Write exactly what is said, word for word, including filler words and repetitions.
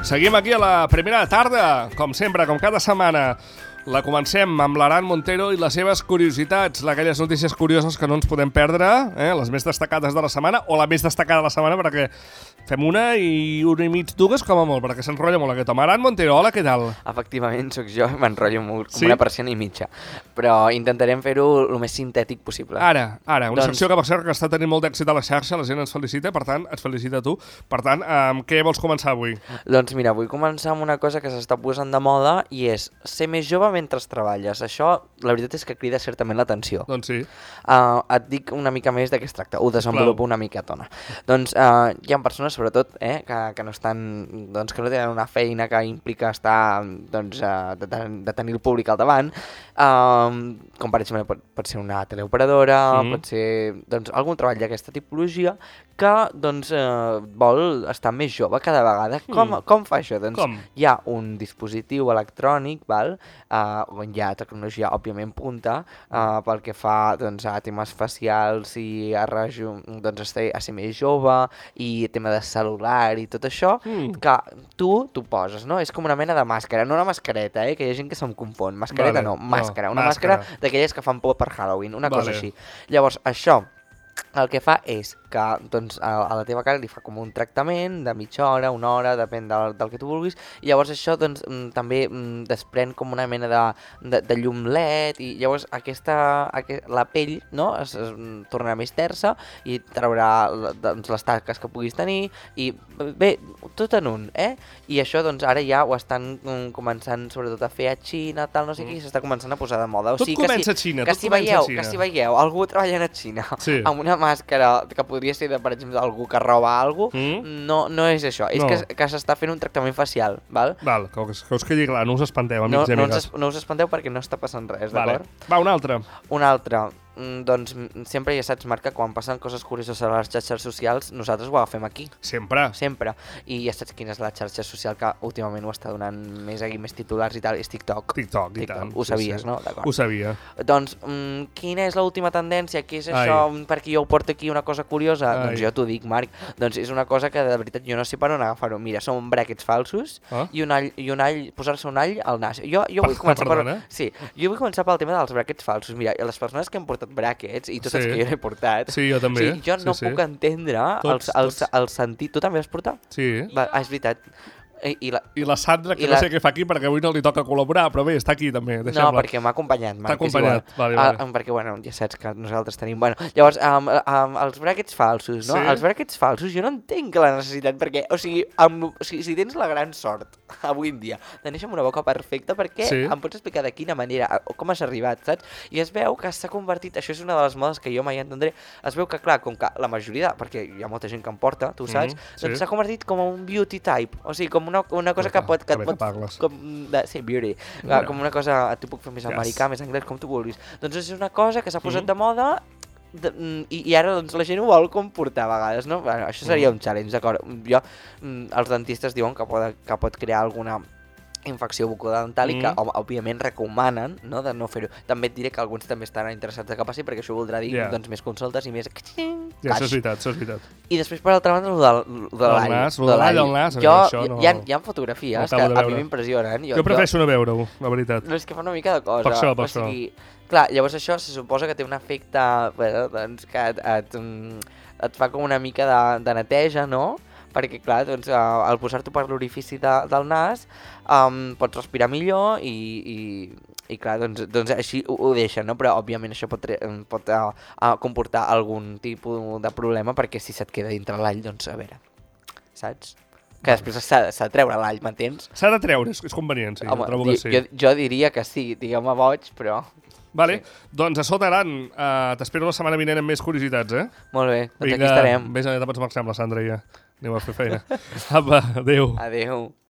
Seguim aquí a la primera tarda, com sempre, com cada setmana. La comencem amb l'Aran Montero i les seves curiositats, aquelles notícies curioses que no ens podem perdre, eh? Les més destacades de la setmana, o la més destacada de la setmana, perquè fem una i una i mig, dues, com a molt, perquè s'enrotlla molt aquest home. Aran Montero, hola, què tal? Efectivament, sóc jo, m'enrotllo molt, com sí? una persiana i mitja, però intentarem fer-ho el més sintètic possible. Ara, ara, una doncs... secció que per cert que està tenint molt d'èxit a la xarxa, la gent ens felicita, per tant, et felicita tu. Per tant, amb què vols començar avui? Doncs mira, vull començar amb una cosa que s'està posant de moda i és ser més jove mentre treballes. Això, la veritat és que crida certament l'atenció. Doncs sí. Uh, et dic una mica més de què es tracta, ho desenvolupo una miquetona. Doncs uh, hi ha persones, sobretot, eh, que, que no estan, doncs, que no tenen una feina que implica estar, doncs, uh, de, de tenir el públic al davant, uh, com per exemple pot, pot ser una teleoperadora, mm. pot ser, doncs, algun treball d'aquesta tipologia que, doncs, uh, vol estar més jove cada vegada. Mm. Com, com fa això? Doncs com? Hi ha un dispositiu electrònic, val? Uh, on hi ha tecnologia, òbviament, punta, uh, pel que fa, doncs, a temes facials i a, rejo, doncs, a, ser, a ser més jove i tema de celular i tot això, mm. que tu t'ho poses, no? És com una mena de màscara, no una mascareta, eh? Que hi ha gent que se'm confon. Mascareta vale. no, màscara. No, una màscara, màscara d'aquelles que fan por per Halloween, una vale. cosa així. Llavors, això el que fa és que, doncs, a, a la teva cara li fa com un tractament de mitja hora, una hora, depèn del, del que tu vulguis, i llavors això, doncs, m, també m, desprèn com una mena de, de, de llum L E D, i llavors aquesta, aquest, la pell, no?, es, es tornarà més tersa i traurà, doncs, les taques que puguis tenir, i bé, tot en un, eh? I això, doncs, ara ja ho estan um, començant, sobretot, a fer a Xina, tal, no sé mm. què, i s'està començant a posar de moda. O tot sigui, comença que si, a Xina, que tot si comença veieu, a Xina. Que si veieu algú treballant a Xina, sí. amb una màscara que podria ser, de, per exemple, algú que roba alguna cosa, mm? no, no és això, és no. que, que s'està fent un tractament facial, val? Val, que us, que us quedi clar, no us espanteu, amics no, i amigues. No, no us espanteu perquè no està passant res, vale. d'acord? Va, una altra. Una altra. Doncs sempre ja saps, Marc, que quan passen coses curioses a les xarxes socials, nosaltres ho agafem aquí. Sempre. Sempre. I ja saps quina és la xarxa social que últimament ho està donant més aquí, més titulars i tal, és TikTok. TikTok, i TikTok. tant. Ho sabies, sí, sí. no? Ho sabia. Doncs, mm, quina és l'última tendència? Què és això? Ai. Perquè jo ho porto aquí una cosa curiosa? Ai. Doncs jo t'ho dic, Marc. Doncs és una cosa que de veritat jo no sé per on agafar-ho. Mira, són bràquets falsos ah? i un all, i un all, posar-se un all al nas. Jo, jo vull començar Perdona? per... Sí, jo vull començar pel tema dels bràquets falsos. Mira, les persones que han portat bràquets, i totes sí. que jo n'he portat, sí, jo també. Sí, jo no sí, puc sí. entendre tots, el, el, el sentit. Tu també has portat? Sí. Va, ah, és veritat. I, i, la, I la Sandra, que no la... sé què fa aquí, perquè avui no li toca col·laborar, però bé, està aquí també. No, perquè m'ha acompanyat. T'ha acompanyat, vale, vale. Ah, perquè, bueno, ja saps que nosaltres tenim... Bueno, llavors, um, um, els bràquets falsos, no? Sí. Els bràquets falsos jo no entenc la necessitat, perquè, o sigui, amb, o sigui, si tens la gran sort, avui en dia, de néixer amb una boca perfecta, per què sí. em pots explicar de quina manera, o com has arribat, saps? I es veu que s'ha convertit, això és una de les modes que jo mai entendré, es veu que, clar, com que la majoria, perquè hi ha molta gent que em porta, tu saps, mm, sí. doncs s'ha convertit com un beauty type, o sigui, com una, una cosa que pot, que et pot, com de, sí, beauty, no. com una cosa, tu puc fer més yes. americà, més anglès, com tu vulguis. Doncs és una cosa que s'ha posat mm. de moda de, i, i ara doncs, la gent ho vol comportar a vegades, no? Bueno, això seria mm. un challenge, d'acord? Jo, els dentistes diuen que pot, que pot crear alguna infecció bucodental i que, mm. òbviament, recomanen, no?, de no fer-ho. També et diré que alguns també estan interessats de que passi, perquè això voldrà dir yeah. doncs, més consultes i més... Ja, això és veritat, això és veritat. I després, per altra banda, el de, de l'all. El nas, el de l'all, el nas, jo, això no... Hi ha, hi ha fotografies no que a mi m'impressionen. Jo, jo prefereixo no veure-ho, la veritat. No, és que fa una mica de cosa. Per això, per o sigui, això. Clar, llavors això se suposa que té un efecte, bueno, doncs, que et, et, et fa com una mica de, de neteja, no?, perquè, clar, doncs, uh, al posar-t'ho per l'orifici de, del nas um, pots respirar millor i, i, i clar, doncs, doncs així ho, ho deixen, no? Però, òbviament, això pot, pot uh, uh, comportar algun tipus de problema, perquè si se't queda dintre l'all, doncs, a veure, saps? Que després s'ha de treure l'all, m'entens? S'ha de treure, és, és convenient, sí, home, trobo que sí. Jo, jo diria que sí, diguem-me boig, però... Vale, sí. Doncs a sota, Aran, uh, t'espero la setmana vinent amb més curiositats, eh? Molt bé, doncs Vinga, aquí estarem. Vinga, vés a pots marxar amb la Sandra ja. Anem a fer feina. Apa, adéu. Adéu.